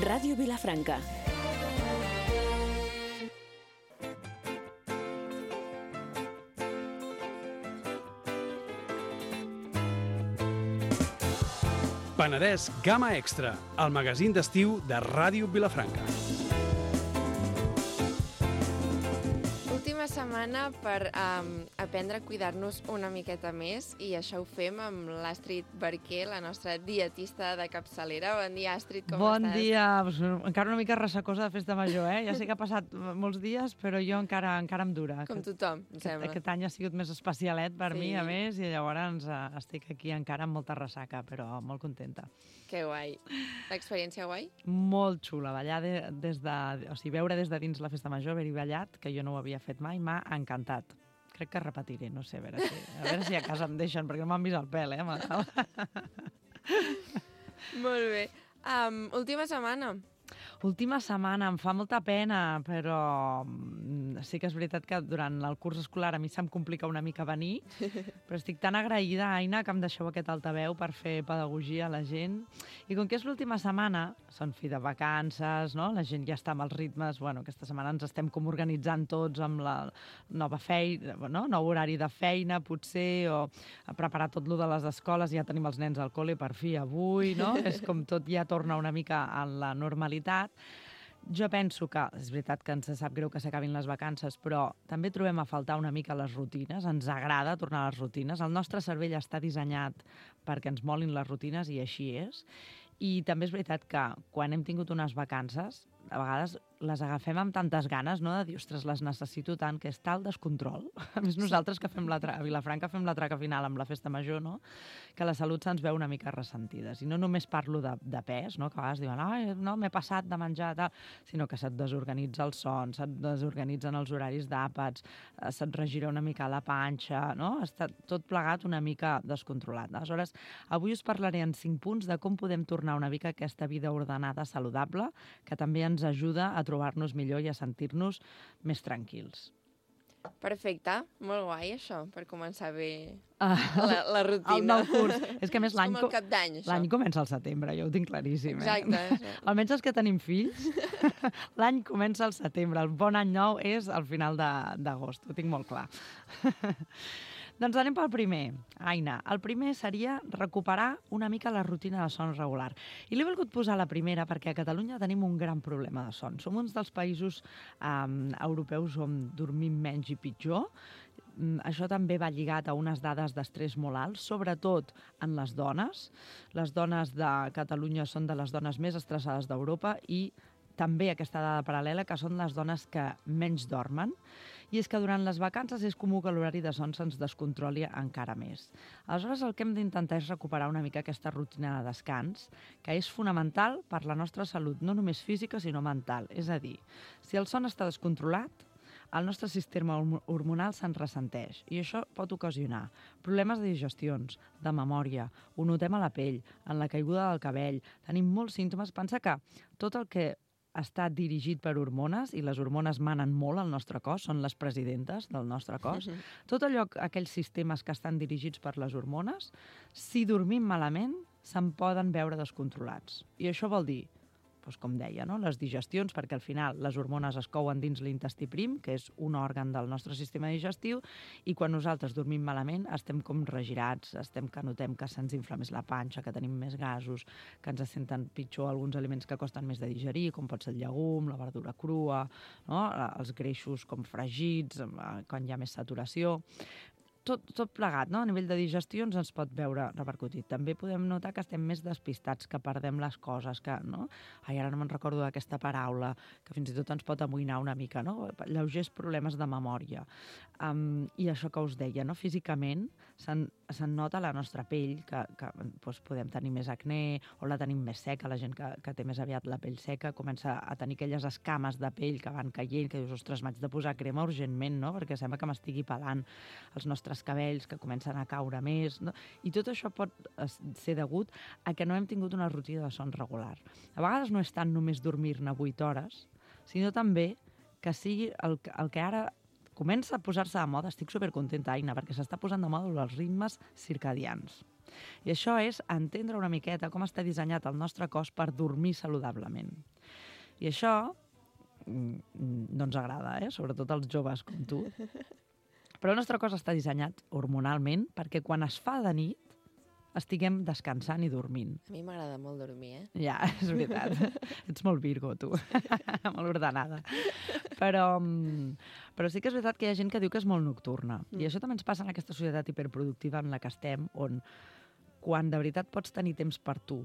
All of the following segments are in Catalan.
Ràdio Vilafranca. Penedès Gamma Extra, el magazín d'estiu de Ràdio Vilafranca. Última setmana per aprendre a cuidar-nos una miqueta més, i això ho fem amb l'Astrid Barquer, la nostra dietista de capçalera. Bon dia, Astrid, com estàs? Bon dia. Encara una mica ressacosa de festa major, eh? Ja sé que ha passat molts dies, però jo encara em dura. Com tothom, em sembla. Aquest any ha sigut més especialet per mi, a més, i llavors estic aquí encara amb molta ressaca, però molt contenta. Que guai. L'experiència guai? Molt xula. Ballar veure des de dins la festa major, haver-hi ballat, que jo no ho havia fet mai, m'ha encantat. Crec que repetiré, no sé, a veure si a casa em deixen, perquè no m'han vist el pèl, Molt bé. Última setmana. Última setmana, em fa molta pena, però sí que és veritat que durant el curs escolar a mi se'm complica una mica venir, però estic tan agraïda, Aina, que em deixeu aquest altaveu per fer pedagogia a la gent. I com que és l'última setmana, són fi de vacances, no? La gent ja està amb els ritmes, aquesta setmana ens estem com organitzant tots amb la nova feina, nou horari de feina, potser, o a preparar tot lo de les escoles, ja tenim els nens al col·le per fi avui, no? És com tot ja torna una mica a la normalitat. Jo penso que és veritat que ens sap greu que s'acabin les vacances, però també trobem a faltar una mica les rutines. Ens agrada tornar a les rutines. El nostre cervell està dissenyat perquè ens molin les rutines, i així és. I també és veritat que quan hem tingut unes vacances, a vegades les agafem amb tantes ganes, no?, de dir, ostres, les necessito tant, que és tal descontrol. A més, nosaltres que fem a Vilafranca fem la traca final amb la festa major, no?, que la salut se'ns veu una mica ressentides. I no només parlo de pes, no?, que a vegades diuen, ai, no, m'he passat de menjar, tal, sinó que se't desorganitza el son, se't desorganitzen els horaris d'àpats, se't regira una mica la panxa, no?, està tot plegat una mica descontrolat. Aleshores, avui us parlaré en 5 punts de com podem tornar una mica a aquesta vida ordenada, saludable, que també ens ajuda a trobar-nos millor i a sentir-nos més tranquils. Perfecte, molt guai això, per començar bé la rutina. El nou curs. És que a més l'any... Com el cap d'any, això. L'any comença al setembre, jo ho tinc claríssim. Exacte. Almenys els que tenim fills, l'any comença al setembre. El bon any nou és al final d'agost, ho tinc molt clar. Doncs anem pel primer, Aina. El primer seria recuperar una mica la rutina de son regular. I l'he volgut posar la primera perquè a Catalunya tenim un gran problema de son. Som uns dels països europeus on dormim menys i pitjor. Això també va lligat a unes dades d'estrès molt alts, sobretot en les dones. Les dones de Catalunya són de les dones més estressades d'Europa, i també aquesta dada paral·lela, que són les dones que menys dormen. I és que durant les vacances és comú que l'horari de son se'ns descontroli encara més. Aleshores, el que hem d'intentar és recuperar una mica aquesta rutina de descans, que és fonamental per la nostra salut, no només física, sinó mental. És a dir, si el son està descontrolat, el nostre sistema hormonal se'n ressenteix, i això pot ocasionar problemes de digestions, de memòria, ho notem a la pell, en la caiguda del cabell, tenim molts símptomes. Pensa que tot el que està dirigit per hormones, i les hormones manen molt al nostre cos, són les presidentes del nostre cos. Tot allò, aquells sistemes que estan dirigits per les hormones, si dormim malament, se'n poden veure descontrolats. I això vol dir, doncs com deia, no?, les digestions, perquè al final les hormones es couen dins l'intestí prim, que és un òrgan del nostre sistema digestiu, i quan nosaltres dormim malament estem com regirats, que notem que se'ns infla més la panxa, que tenim més gasos, que ens senten pitjor alguns aliments que costen més de digerir, com pot ser el llegum, la verdura crua, no?, els greixos com fregits, quan hi ha més saturació. Tot plegat, no? A nivell de digestions ens pot veure repercutit. També podem notar que estem més despistats, que perdem les coses, que, no? Ai, ara no me'n recordo d'aquesta paraula, que fins i tot ens pot amoïnar una mica, no? Lleugers problemes de memòria. I això que us deia, no? Físicament se'n nota la nostra pell, que podem tenir més acné, o la tenim més seca, la gent que té més aviat la pell seca comença a tenir aquelles escames de pell que van caient, que dius, ostres, m'haig de posar crema urgentment, no? Perquè sembla que m'estigui pelant els nostres cabells, que comencen a caure més, no? I tot això pot ser degut a que no hem tingut una rutina de son regular. A vegades no és tant només dormir-ne 8 hores, sinó també que sigui el que ara comença a posar-se de moda. Estic supercontenta, Aina, perquè s'està posant de moda els ritmes circadians. I això és entendre una miqueta com està dissenyat el nostre cos per dormir saludablement. I això no ens agrada, sobretot als joves com tu. Però el nostre cos està dissenyat hormonalment perquè quan es fa de nit estiguem descansant i dormint. A mi m'agrada molt dormir, Ja, és veritat. Ets molt Virgo, tu. Molt ordenada. Però sí que és veritat que hi ha gent que diu que és molt nocturna. I això també ens passa en aquesta societat hiperproductiva en la que estem, on quan de veritat pots tenir temps per tu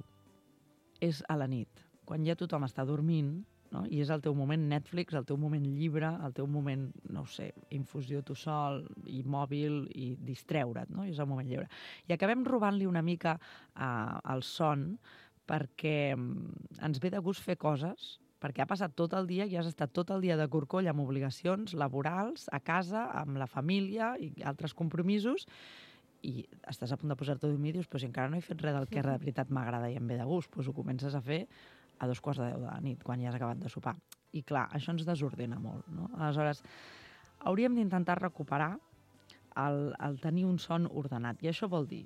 és a la nit. Quan ja tothom està dormint, no? I és el teu moment Netflix, el teu moment llibre, el teu moment, no ho sé, infusió tu sol, i mòbil, i distreure't, no? I és el moment lliure. I acabem robant-li una mica el son perquè ens ve de gust fer coses, perquè ha passat tot el dia i has estat tot el dia de corcoll amb obligacions laborals, a casa, amb la família i altres compromisos, i estàs a punt de posar-te a dormir i dius, però si encara no he fet res del que de veritat m'agrada i em ve de gust, doncs ho comences a fer a 2:15 de la nit, quan ja has acabat de sopar. I clar, això ens desordena molt, no? Aleshores, hauríem d'intentar recuperar el tenir un son ordenat. I això vol dir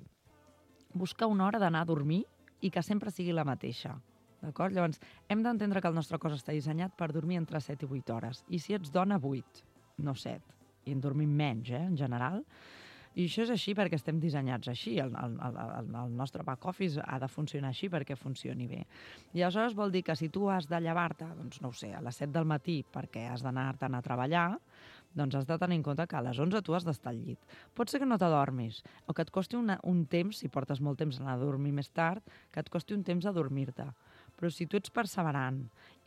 buscar una hora d'anar a dormir i que sempre sigui la mateixa. D'acord? Llavors, hem d'entendre que el nostre cos està dissenyat per dormir entre 7 i 8 hores. I si ets dona, 8, no 7. I en dormim menys, en general. I això és així perquè estem dissenyats així. El nostre back office ha de funcionar així perquè funcioni bé. I aleshores vol dir que si tu has de llevar-te, doncs no ho sé, a les 7 del matí perquè has d'anar-te'n a treballar, doncs has de tenir en compte que a les 11 tu has d'estar al llit. Pot ser que no t'adormis, o que et costi un temps, si portes molt temps a anar a dormir més tard, que et costi un temps a dormir-te. Però si tu ets perseverant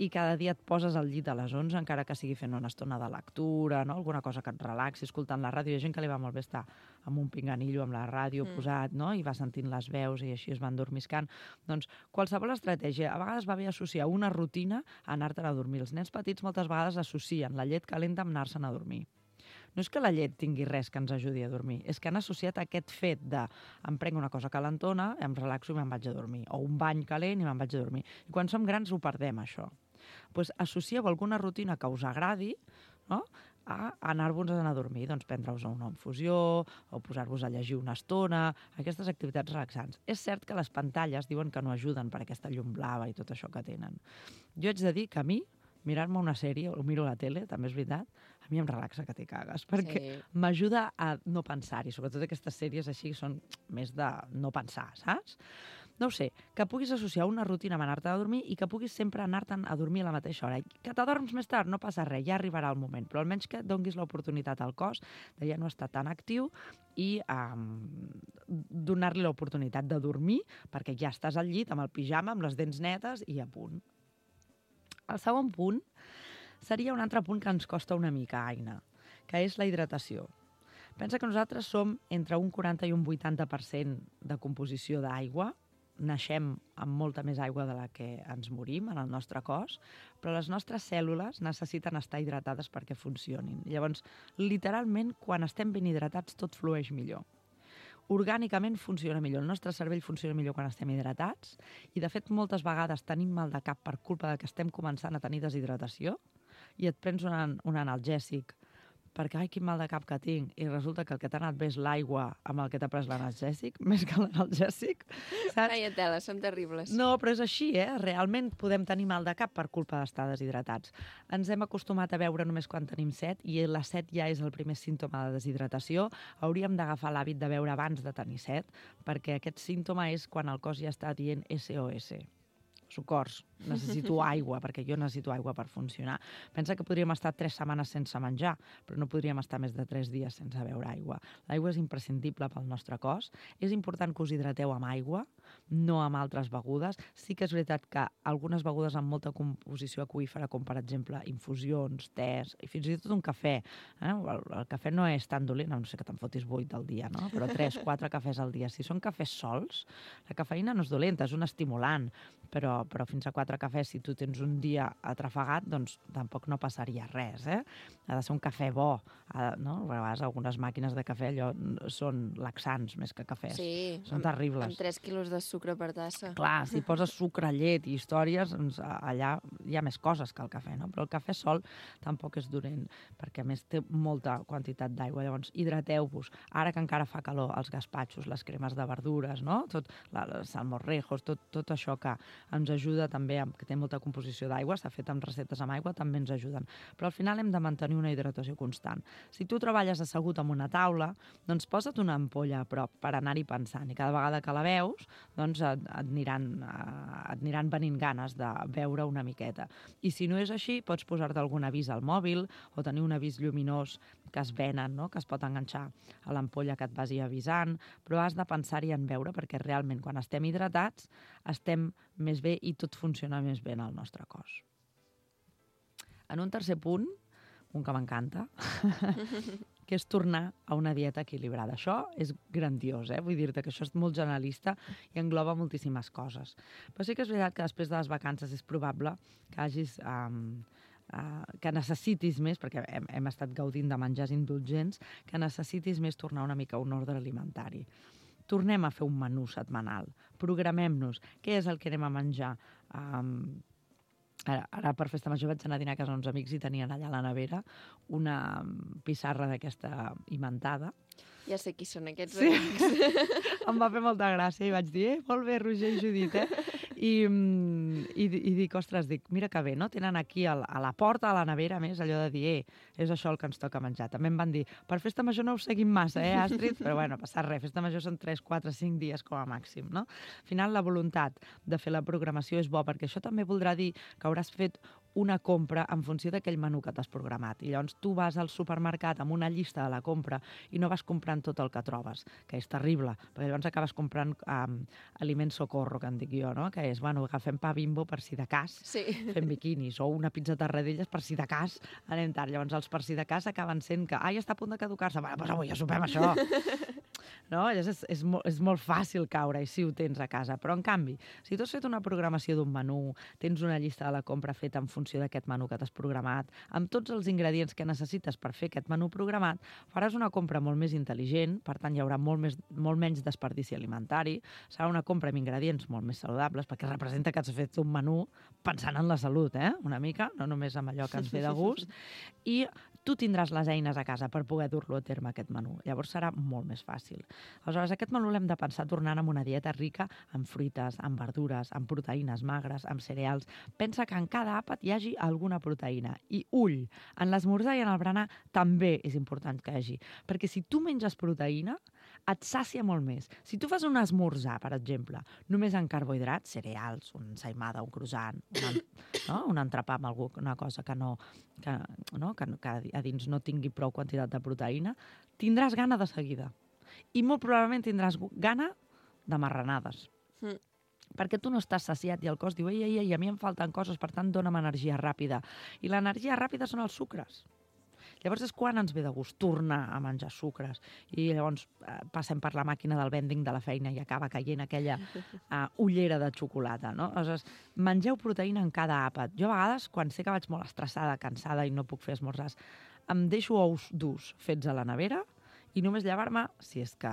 i cada dia et poses al llit a les 11, encara que sigui fent una estona de lectura, no? Alguna cosa que et relaxi, escoltant la ràdio, hi ha gent que li va molt bé estar amb un pinganillo amb la ràdio posat, no? I va sentint les veus i així es van dormiscant. Doncs qualsevol estratègia, a vegades va bé associar una rutina a anar-te'n a dormir. Els nens petits moltes vegades associen la llet calenta amb anar-se'n a dormir. No és que la llet tingui res que ens ajudi a dormir, és que han associat aquest fet de em prenc una cosa calentona, em relaxo i me'n vaig a dormir, o un bany calent i me'n vaig a dormir. I quan som grans ho perdem, això. Doncs associeu alguna rutina que us agradi, no?, a anar-vos a dormir, doncs prendre-us una infusió o posar-vos a llegir una estona, aquestes activitats relaxants. És cert que les pantalles diuen que no ajuden per aquesta llum blava i tot això que tenen. Jo haig de dir que a mi, mirar-me una sèrie o miro la tele, també és veritat, a mi em relaxa que t'hi cagues, perquè m'ajuda a no pensar-hi. Sobretot aquestes sèries així són més de no pensar, saps? No ho sé, que puguis associar una rutina amb anar-te a dormir i que puguis sempre anar-te'n a dormir a la mateixa hora. Que t'adorms més tard, no passa res, ja arribarà el moment, però almenys que donguis l'oportunitat al cos de ja no estar tan actiu i donar-li l'oportunitat de dormir perquè ja estàs al llit amb el pijama, amb les dents netes i a punt. El segon punt seria un altre punt que ens costa una mica, Aina, que és la hidratació. Pensa que nosaltres som entre un 40 i un 80% de composició d'aigua. Naixem amb molta més aigua de la que ens morim en el nostre cos, però les nostres cèl·lules necessiten estar hidratades perquè funcionin. Llavors, literalment, quan estem ben hidratats, tot flueix millor. Orgànicament funciona millor. El nostre cervell funciona millor quan estem hidratats i, de fet, moltes vegades tenim mal de cap per culpa de que estem començant a tenir deshidratació i et prens un analgèsic perquè, ai, quin mal de cap que tinc, i resulta que el que t'ha anat bé és l'aigua amb el que t'ha pres l'analgèsic, més que l'analgèsic, saps? Ai, tela, són terribles. No, però és així, Realment podem tenir mal de cap per culpa d'estar deshidratats. Ens hem acostumat a beure només quan tenim set, i la set ja és el primer símptoma de deshidratació. Hauríem d'agafar l'hàbit de beure abans de tenir set, perquè aquest símptoma és quan el cos ja està dient SOS. Socors, necessito aigua, perquè jo necessito aigua per funcionar. Pensa que podríem estar 3 setmanes sense menjar, però no podríem estar més de 3 dies sense beure aigua. L'aigua és imprescindible pel nostre cos. És important que us hidrateu amb aigua, no amb altres begudes. Sí que és veritat que algunes begudes amb molta composició aquífera, com per exemple infusions, tés, i fins i tot un cafè. El cafè no és tan dolent, no sé que te'n fotis 8 al dia, no? Però 3-4 cafès al dia. Si són cafès sols, la cafeïna no és dolenta, és un estimulant, però fins a 4 cafès, si tu tens un dia atrafegat, doncs tampoc no passaria res, Ha de ser un cafè bo, no? A vegades algunes màquines de cafè allò són laxants més que cafès. Sí, són terribles. Amb 3 quilos de sucre per tassa. Clar, si poses sucre, llet i històries, doncs allà hi ha més coses que el cafè, no? Però el cafè sol tampoc és dolent, perquè a més té molta quantitat d'aigua. Llavors, hidrateu-vos. Ara que encara fa calor, els gaspatxos, les cremes de verdures, no? Els salmorrejos, tot això que ens ens ajuda també, que té molta composició d'aigua, s'ha fet amb receptes amb aigua, també ens ajuden. Però al final hem de mantenir una hidratació constant. Si tu treballes assegut amb una taula, doncs posa't una ampolla a prop per anar-hi pensant, i cada vegada que la veus, doncs et aniran venint ganes de beure una miqueta. I si no és així, pots posar-te algun avís al mòbil o tenir un avís lluminós que es venen, no? Que es pot enganxar a l'ampolla que et vagi avisant, però has de pensar-hi en beure perquè realment quan estem hidratats estem més bé i tot funciona més bé en el nostre cos. En un tercer punt, un que m'encanta, que és tornar a una dieta equilibrada. Això és grandiós, vull dir-te que això és molt generalista i engloba moltíssimes coses. Però sí que és veritat que després de les vacances és probable que hagis... que necessitis més, perquè hem estat gaudint de menjars indulgents, que necessitis més tornar una mica a un ordre alimentari. Tornem a fer un menú setmanal, programem-nos què és el que anem a menjar. Ara per Festa Major vaig anar a dinar a casa uns amics i tenien allà a la nevera una pissarra d'aquesta imentada. Ja sé qui són aquests amics. Em va fer molta gràcia i vaig dir, molt bé, Roger i Judit, I dic, ostres, mira que bé, no? Tenen aquí a la porta, a la nevera, més, allò de dir, és això el que ens toca menjar. També em van dir, per Festa Major no ho seguim massa, Astrid? Però bueno, passa res, Festa Major són 3, 4, 5 dies com a màxim, no? Al final, la voluntat de fer la programació és bo, perquè això també voldrà dir que hauràs fet una compra en funció d'aquell menú que t'has programat. I llavors tu vas al supermercat amb una llista de la compra i no vas comprant tot el que trobes, que és terrible, perquè llavors acabes comprant aliment socorro, que en dic jo, no? Que és, bueno, agafem pa Bimbo per si de cas, fem biquinis, o una pizza tarradellas per si de cas anem tard. Llavors els per si de cas acaben sent que, ja està a punt de caducar-se, doncs avui ja sopem això. No? És molt fàcil caure, i sí ho tens a casa, però en canvi, si tu has fet una programació d'un menú, tens una llista de la compra feta en funció d'aquest menú que t'has programat, amb tots els ingredients que necessites per fer aquest menú programat, faràs una compra molt més intel·ligent, per tant hi haurà molt menys desperdici alimentari, serà una compra amb ingredients molt més saludables, perquè representa que has fet un menú pensant en la salut, una mica, no només amb allò que ens ve de gust, i tu tindràs les eines a casa per poder dur-lo a terme, aquest menú. Llavors serà molt més fàcil. Aleshores, aquest menú l'hem de pensar tornant amb una dieta rica en fruites, en verdures, en proteïnes magres, en cereals. Pensa que en cada àpat hi hagi alguna proteïna. I ull, en l'esmorzar i en el berenar també és important que hi hagi. Perquè si tu menges proteïna, et sàcia molt més. Si tu fas un esmorzar, per exemple, només en carbohidrats, cereals, una ensaïmada, un croissant, un entrepà amb alguna cosa que a dins no tingui prou quantitat de proteïna, tindràs gana de seguida. I molt probablement tindràs gana de marranades. Perquè tu no estàs saciat i el cos diu, ei, a mi em falten coses, per tant, dona'm energia ràpida. I l'energia ràpida són els sucres. Llavors és quan ens ve de gust tornar a menjar sucres. I llavors passem per la màquina del vending de la feina i acaba caient aquella ullera de xocolata, no? Aleshores, mengeu proteïna en cada àpat. Jo a vegades, quan sé que vaig molt estressada, cansada i no puc fer esmorzars, em deixo ous durs fets a la nevera i només llevar-me, si és que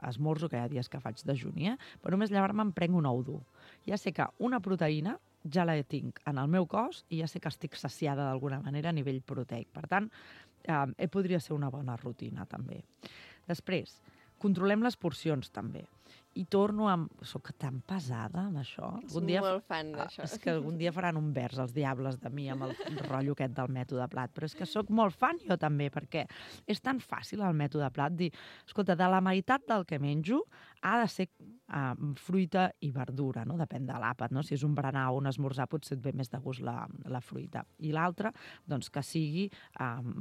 esmorzo, que hi ha dies que faig dejuni, però només llevar-me em prenc un ou dur. Ja sé que una proteïna ja la tinc en el meu cos i ja sé que estic saciada d'alguna manera a nivell proteic. Per tant, podria ser una bona rutina, també. Després, controlem les porcions, també. I torno amb... Soc tan pesada amb això. Molt fan d'això. És que algun dia faran un vers, els diables de mi, amb el rotllo aquest del mètode plat. Però és que soc molt fan jo també, perquè és tan fàcil el mètode plat dir, escolta, de la meitat del que menjo ha de ser fruita i verdura, no? Depèn de l'àpat, no? Si és un berenar o un esmorzar potser et ve més de gust la fruita. I l'altra, doncs, que sigui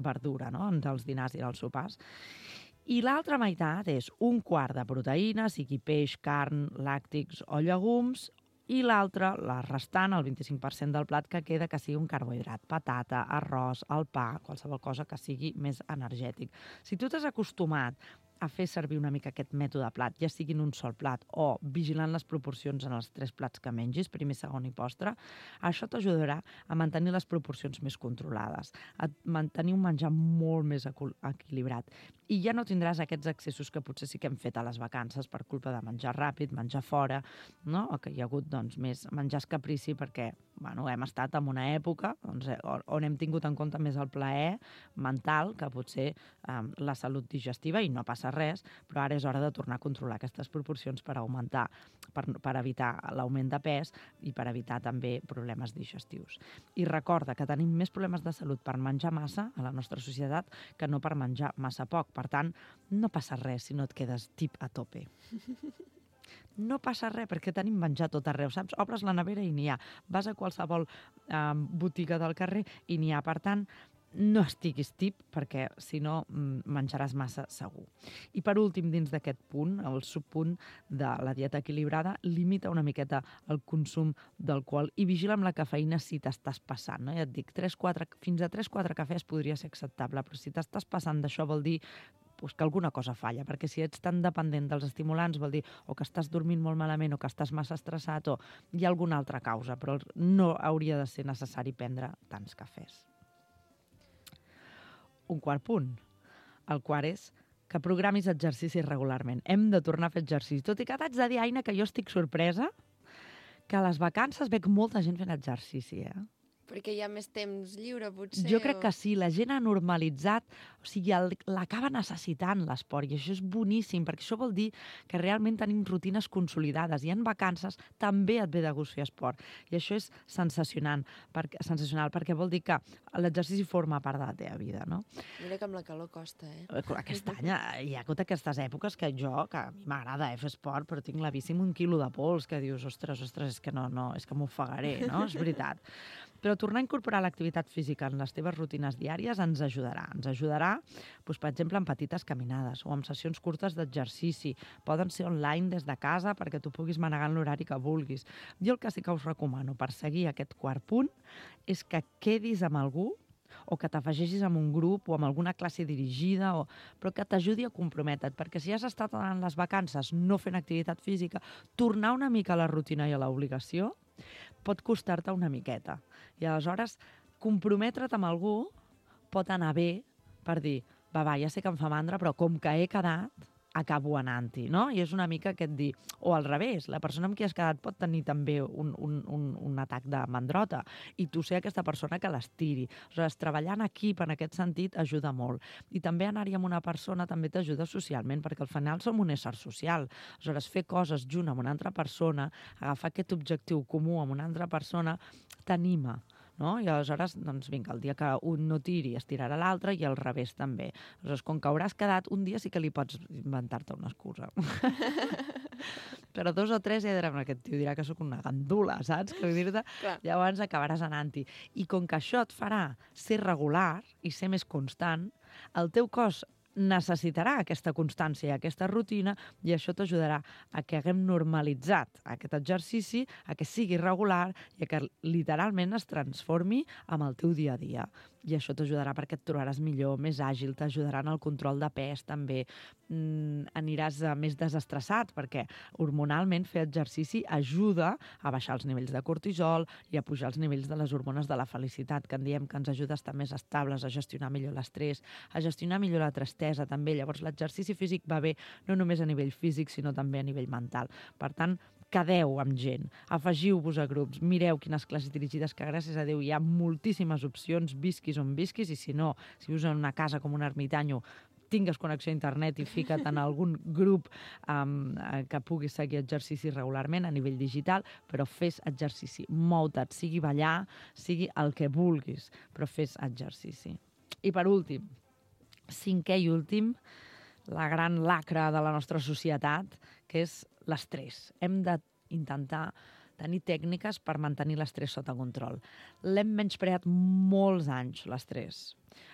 verdura, no? Dels dinars i dels sopars. I l'altra meitat és un quart de proteïna, sigui peix, carn, làctics o llegums, i l'altra, la restant, el 25% del plat que queda, que sigui un carbohidrat, patata, arròs, el pa, qualsevol cosa que sigui més energètic. Si tu t'has acostumat a fer servir una mica aquest mètode plat, ja sigui en un sol plat o vigilant les proporcions en els 3 plats que mengis, primer, segon i postre, això t'ajudarà a mantenir les proporcions més controlades, a mantenir un menjar molt més equilibrat. I ja no tindràs aquests excessos que potser sí que hem fet a les vacances per culpa de menjar ràpid, menjar fora, no? O que hi ha hagut més menjars caprici perquè hem estat en una època on hem tingut en compte més el plaer mental que potser la salut digestiva, i no passa res, però ara és hora de tornar a controlar aquestes proporcions per augmentar, per evitar l'augment de pes i per evitar també problemes digestius. I recorda que tenim més problemes de salut per menjar massa a la nostra societat que no per menjar massa poc. Per tant, no passa res si no et quedes tip a tope. No passa res, perquè tenim menjar tot arreu, saps? Obres la nevera i n'hi ha. Vas a qualsevol botiga del carrer i n'hi ha. Per tant, no estiguis tip, perquè si no menjaràs massa segur. I per últim, dins d'aquest punt, el subpunt de la dieta equilibrada, limita una miqueta el consum d'alcohol i vigila amb la cafeïna si t'estàs passant. No? Ja et dic, fins a 3-4 cafès podria ser acceptable, però si t'estàs passant d'això vol dir que alguna cosa falla, perquè si ets tan dependent dels estimulants vol dir o que estàs dormint molt malament o que estàs massa estressat o hi ha alguna altra causa, però no hauria de ser necessari prendre tants cafès. Un quart punt. El quart és que programis exercicis regularment. Hem de tornar a fer exercici. Tot i que t'haig de dir, Aina, que jo estic sorpresa que a les vacances veig molta gent fent exercici, Perquè hi ha més temps lliure, potser? Jo crec que sí, la gent ha normalitzat, o sigui, l'acaba necessitant l'esport, i això és boníssim, perquè això vol dir que realment tenim rutines consolidades, i en vacances també et ve de gust fer esport, i això és sensacional, perquè vol dir que l'exercici forma part de la teva vida, no? Mira que amb la calor costa, Aquest any hi ha hagut aquestes èpoques que a mi m'agrada fer esport, però tinc la bici amb 1 quilo de pols, que dius, ostres, és que és que m'ofegaré, no? És veritat. Però tornar a incorporar l'activitat física en les teves rutines diàries ens ajudarà. Ens ajudarà, doncs, per exemple, en petites caminades o en sessions curtes d'exercici. Poden ser online des de casa perquè tu puguis manegar en l'horari que vulguis. Jo el que sí que us recomano per seguir aquest quart punt és que quedis amb algú o que t'afegeixis amb un grup o amb alguna classe dirigida, però que t'ajudi a comprometre't, perquè si has estat en les vacances no fent activitat física, tornar una mica a la rutina i a l'obligació pot costar-te una miqueta. I aleshores, comprometre't amb algú pot anar bé per dir, va, ja sé que em fa mandra, però com que he quedat, acabo anant-hi, no? I és una mica aquest dir... O al revés, la persona amb qui has quedat pot tenir també un atac de mandrota i tu ser aquesta persona que l'estiri. Aleshores, treballar en equip en aquest sentit ajuda molt. I també anar-hi amb una persona també t'ajuda socialment, perquè al final som un ésser social. Aleshores, fer coses junt amb una altra persona, agafar aquest objectiu comú amb una altra persona, t'anima. No? I aleshores, doncs vinga, el dia que un no tiri es tirarà l'altre i al revés també. Aleshores, com que hauràs quedat, un dia sí que li pots inventar-te una excusa. Però 2 o 3 ja diran, aquest tio dirà que sóc una gandula, saps? Que dir-te, llavors acabaràs anant-hi. I com que això et farà ser regular i ser més constant, el teu cos necessitarà aquesta constància, aquesta rutina, i això t'ajudarà a que haguem normalitzat aquest exercici, a que sigui regular i a que literalment es transformi en el teu dia a dia. I això t'ajudarà perquè et trobaràs millor, més àgil, t'ajudarà en el control de pes també, aniràs més desestressat perquè hormonalment fer exercici ajuda a baixar els nivells de cortisol i a pujar els nivells de les hormones de la felicitat, que en diem que ens ajuda a estar més estables, a gestionar millor l'estrès, a gestionar millor la tristesa també. Llavors l'exercici físic va bé no només a nivell físic sinó també a nivell mental. Per tant, quedeu amb gent, afegiu-vos a grups, mireu quines classes dirigides, que gràcies a Déu hi ha moltíssimes opcions, visquis on visquis, i si no, si vius en una casa com un ermitanyo, tingues connexió a internet i fica't en algun grup que puguis seguir exercici regularment a nivell digital, però fes exercici, mou-te't, sigui ballar, sigui el que vulguis, però fes exercici. I per últim, 5è i últim, la gran lacra de la nostra societat, que és l'estrès. Hem d'intentar tenir tècniques per mantenir l'estrès sota control. L'hem menyspreat molts anys, l'estrès.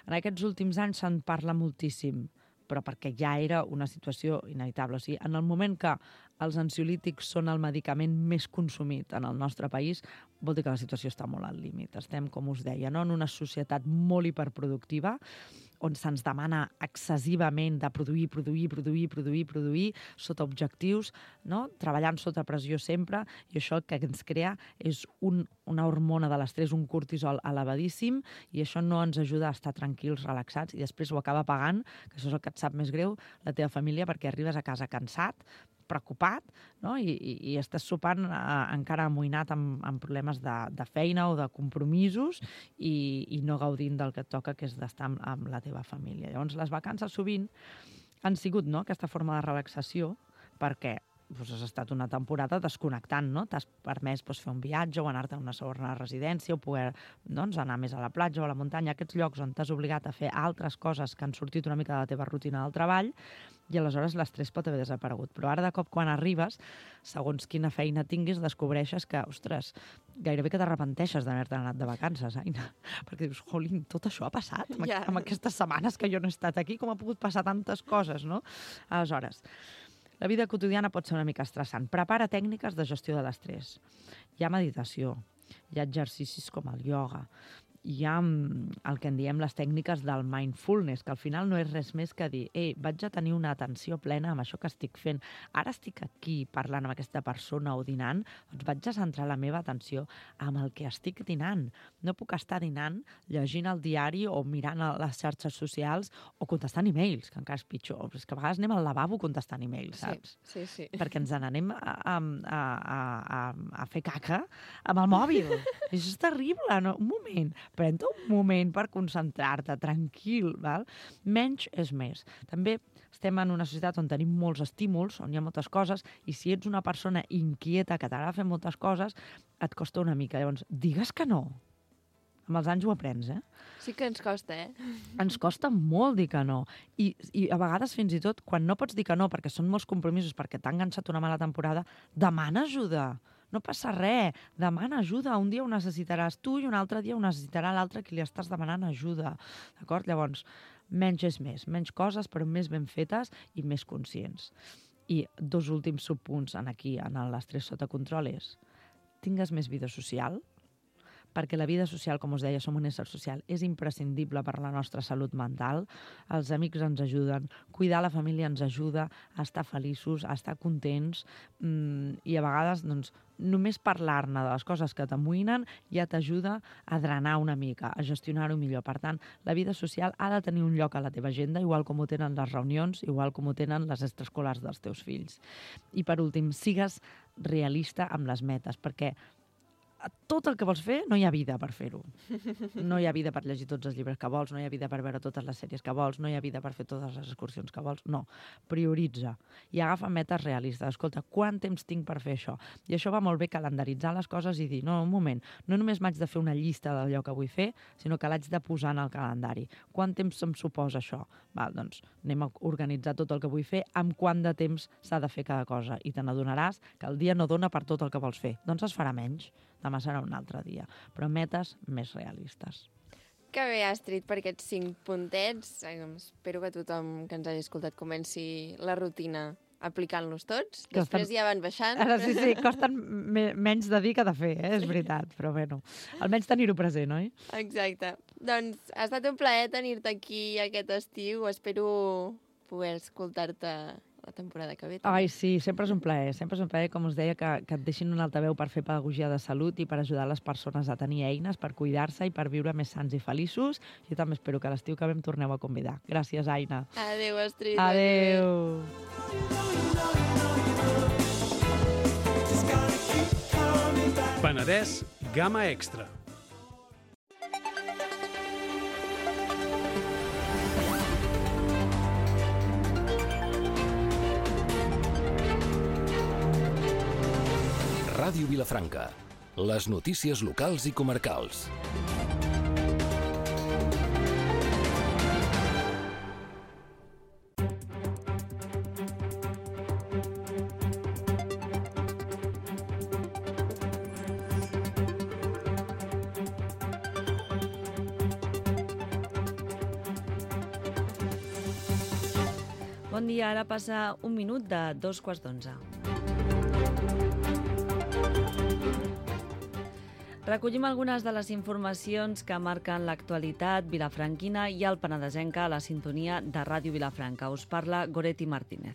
En aquests últims anys se'n parla moltíssim, però perquè ja era una situació inevitable. O sigui, en el moment que els ansiolítics són el medicament més consumit en el nostre país, vol dir que la situació està molt al límit. Estem, com us deia, en una societat molt hiperproductiva, on se'ns demana excessivament de produir sota objectius, no? Treballant sota pressió sempre, i això el que ens crea és una hormona de l'estrès, un cortisol elevadíssim, i això no ens ajuda a estar tranquils, relaxats, i després ho acaba pagant, que això és el que et sap més greu, la teva família, perquè arribes a casa cansat, preocupat, no? I estàs sopant encara amoïnat amb problemes de feina o de compromisos i no gaudint del que et toca, que és d'estar amb la teva família. Llavors, les vacances sovint han sigut, no?, aquesta forma de relaxació, perquè has estat una temporada desconnectant, no? T'has permès fer un viatge o anar-te a una segona residència o poder anar més a la platja o a la muntanya, aquests llocs on t'has obligat a fer altres coses que han sortit una mica de la teva rutina del treball, i aleshores l'estrès pot haver desaparegut. Però ara, de cop, quan arribes, segons quina feina tinguis, descobreixes que, ostres, gairebé que t'arrepenteixes d'haver-te anat de vacances, Aina. Perquè dius, jolín, tot això ha passat amb aquestes setmanes que jo no he estat aquí, com ha pogut passar tantes coses, no? Aleshores, la vida quotidiana pot ser una mica estressant. Prepara tècniques de gestió de l'estrès. Hi ha meditació, hi ha exercicis com el ioga, hi ha el que en diem les tècniques del mindfulness, que al final no és res més que dir vaig a tenir una atenció plena amb això que estic fent. Ara estic aquí parlant amb aquesta persona o dinant, doncs vaig a centrar la meva atenció amb el que estic dinant. No puc estar dinant llegint el diari o mirant les xarxes socials o contestant e-mails, que encara és pitjor. És que a vegades anem al lavabo contestant e-mails, saps? Sí. Perquè ens n'anem a fer caca amb el mòbil. I això és terrible, no? Un moment. Pren-te un moment per concentrar-te, tranquil, val? Menys és més. També estem en una societat on tenim molts estímuls, on hi ha moltes coses, i si ets una persona inquieta que t'agrada fer moltes coses, et costa una mica. Llavors, digues que no. Amb els anys ho aprens, Sí que ens costa, Ens costa molt dir que no. I a vegades, fins i tot, quan no pots dir que no, perquè són molts compromisos, perquè t'ha enganxat una mala temporada, demana ajuda. No passa res, demana ajuda. Un dia ho necessitaràs tu i un altre dia ho necessitarà l'altre que li estàs demanant ajuda. D'acord? Llavors, menys és més. Menys coses, però més ben fetes i més conscients. I 2 últims subpunts aquí, en l'estrès sota control, és tingues més vida social, perquè la vida social, com us deia, som un ésser social, és imprescindible per a la nostra salut mental. Els amics ens ajuden, cuidar la família ens ajuda a estar feliços, a estar contents, i a vegades, doncs, només parlar-ne de les coses que t'amoïnen ja t'ajuda a drenar una mica, a gestionar-ho millor. Per tant, la vida social ha de tenir un lloc a la teva agenda, igual com ho tenen les reunions, igual com ho tenen les extraescolars dels teus fills. I per últim, sigues realista amb les metes, perquè tot el que vols fer, no hi ha vida per fer-ho. No hi ha vida per llegir tots els llibres que vols, no hi ha vida per veure totes les sèries que vols, no hi ha vida per fer totes les excursions que vols. No, prioritza i agafa metes realistes. Escolta, quant temps tinc per fer això? I això va molt bé, calendaritzar les coses i dir, no, un moment, no només m'haig de fer una llista d'allò que vull fer, sinó que l'haig de posar en el calendari. Quant temps em suposa això? Val, doncs anem a organitzar tot el que vull fer, amb quant de temps s'ha de fer cada cosa. I te n'adonaràs que el dia no dona per tot el que vols fer. Doncs es farà menys. Demà serà un altre dia. Però metes més realistes. Que bé, Astrid, per aquests 5 puntets. Espero que tothom que ens hagi escoltat comenci la rutina aplicant-los tots. Després ja van baixant. Ara sí, costen menys de dir que de fer, és veritat. Però bueno, almenys tenir-ho present, oi? Exacte. Doncs ha estat un plaer tenir-te aquí aquest estiu. Espero poder escoltar-te la temporada que ve. Ai, sí, sempre és un plaer, com us deia, que et deixin un altaveu per fer pedagogia de salut i per ajudar les persones a tenir eines per cuidar-se i per viure més sants i feliços. Jo també espero que l'estiu que ve em torneu a convidar. Gràcies, Aina. Adéu, Astrid. Adéu. Penedès Gamma Extra. Ràdio Vilafranca. Les notícies locals i comarcals. Bon dia, ara passa 1 minut de 2:15. Recollim algunes de les informacions que marquen l'actualitat vilafranquina i el penedesenca a la sintonia de Ràdio Vilafranca. Us parla Goretti Martínez.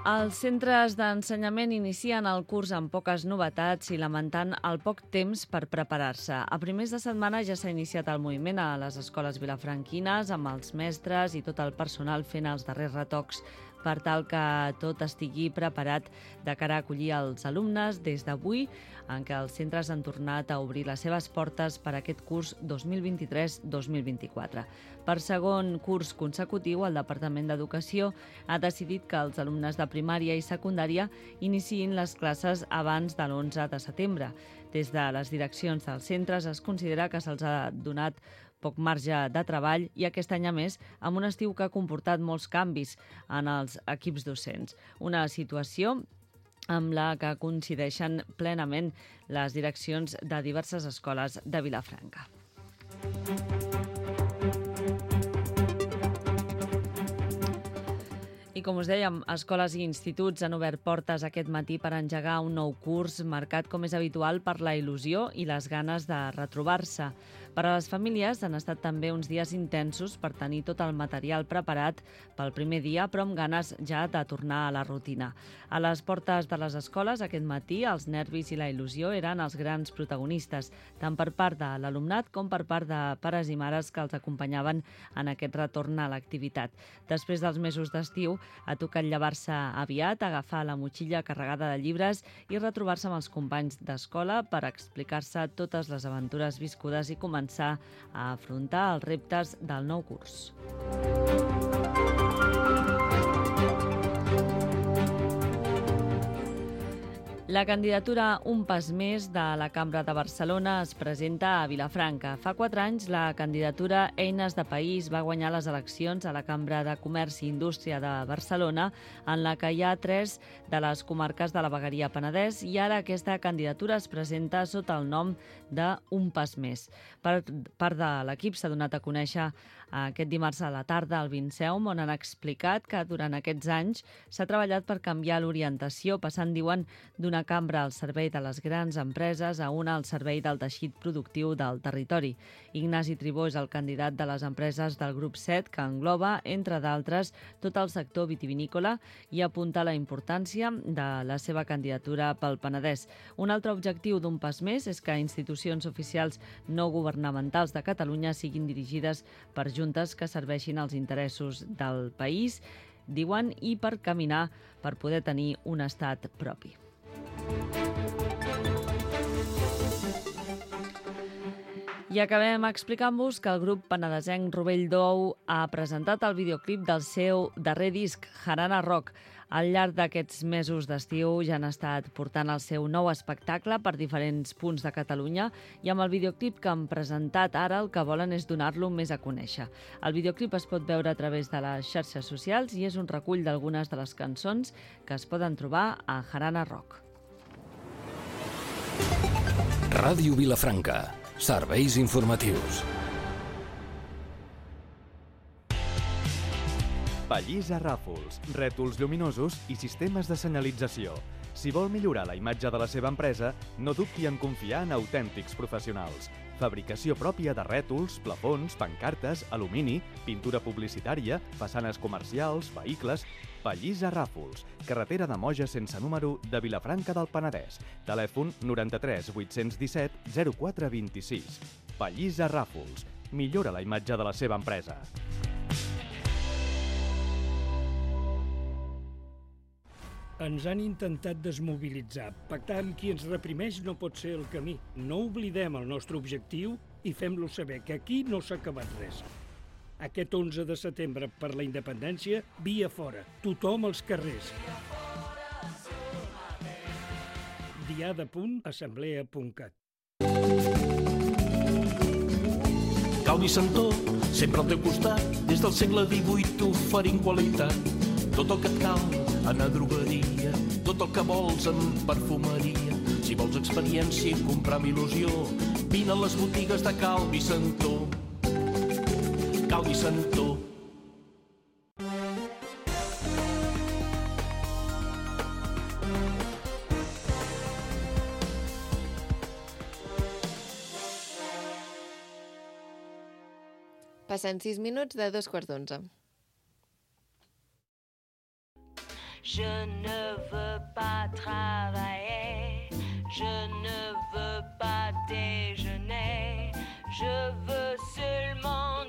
Els centres d'ensenyament inicien el curs amb poques novetats i lamentant el poc temps per preparar-se. A primers de setmana ja s'ha iniciat el moviment a les escoles vilafranquines amb els mestres i tot el personal fent els darrers retocs per tal que tot estigui preparat de cara a acollir els alumnes des d'avui, en què els centres han tornat a obrir les seves portes per a aquest curs 2023-2024. Per segon curs consecutiu, el Departament d'Educació ha decidit que els alumnes de primària i secundària iniciïn les classes abans de l'11 de setembre. Des de les direccions dels centres es considera que se'ls ha donat poc marge de treball i aquest any, a més, amb un estiu que ha comportat molts canvis en els equips docents. Una situació amb la que coincideixen plenament les direccions de diverses escoles de Vilafranca. I com us dèiem, escoles i instituts han obert portes aquest matí per engegar un nou curs marcat, com és habitual, per la il·lusió i les ganes de retrobar-se. Per a les famílies han estat també uns dies intensos per tenir tot el material preparat pel primer dia, però amb ganes ja de tornar a la rutina. A les portes de les escoles aquest matí els nervis i la il·lusió eren els grans protagonistes, tant per part de l'alumnat com per part de pares i mares que els acompanyaven en aquest retorn a l'activitat. Després dels mesos d'estiu ha tocat llevar-se aviat, agafar la motxilla carregada de llibres i retrobar-se amb els companys d'escola per explicar-se totes les aventures viscudes i començar a afrontar els reptes del nou curs. La candidatura Un pas més de la Cambra de Barcelona es presenta a Vilafranca. Fa 4 anys, la candidatura Eines de País va guanyar les eleccions a la Cambra de Comerç i Indústria de Barcelona, en la que hi ha 3 de les comarques de la Vegueria Penedès, i ara aquesta candidatura es presenta sota el nom de Un pas més. Part de l'equip s'ha donat a conèixer aquest dimarts a la tarda al Vinceum, on han explicat que durant aquests anys s'ha treballat per canviar l'orientació, passant, diuen, d'una cambra al servei de les grans empreses a una al servei del teixit productiu del territori. Ignasi Tribó és el candidat de les empreses del grup 7, que engloba, entre d'altres, tot el sector vitivinícola, i apunta la importància de la seva candidatura pel Penedès. Un altre objectiu d'Un pas més és que institucions oficials no governamentals de Catalunya siguin dirigides per juntes que serveixin als interessos del país, diuen, i per caminar per poder tenir un estat propi. I acabem explicant-vos que el grup penedesenc Rovell d'Ou ha presentat el videoclip del seu darrer disc, Jarana Rock. Al llarg d'aquests mesos d'estiu ja han estat portant el seu nou espectacle per diferents punts de Catalunya i amb el videoclip que han presentat ara el que volen és donar-lo més a conèixer. El videoclip es pot veure a través de les xarxes socials i és un recull d'algunes de les cançons que es poden trobar a Jarana Rock. Ràdio Vilafranca. Serveis informatius. Pallissa Ràfols, rètols lluminosos i sistemes de senyalització. Si vol millorar la imatge de la seva empresa, no dubti en confiar en autèntics professionals. Fabricació pròpia de rètols, plafons, pancartes, alumini, pintura publicitària, façanes comercials, vehicles... Pallissa Ràfols, carretera de Moja sense número de Vilafranca del Penedès. Telèfon 93 817 0426. Pallissa Ràfols. Millora la imatge de la seva empresa. Ens han intentat desmobilitzar. Pactar amb qui ens reprimeix no pot ser el camí. No oblidem el nostre objectiu i fem-lo saber, que aquí no s'ha acabat res. Aquest 11 de setembre per la independència, via fora, tothom als carrers. diada.assemblea.cat. Calvi Santó, sempre al teu costat, des del segle XVIII t'oferim qualitat. Tot el que et cal en la drogueria, tot el que vols en perfumeria. Si vols experiència i comprar amb il·lusió, vine a les botigues de Calvi Santó. Calvi Santó. Passen 6 minuts de 2:15. Je ne veux pas travailler, je ne veux pas déjeuner, je veux seulement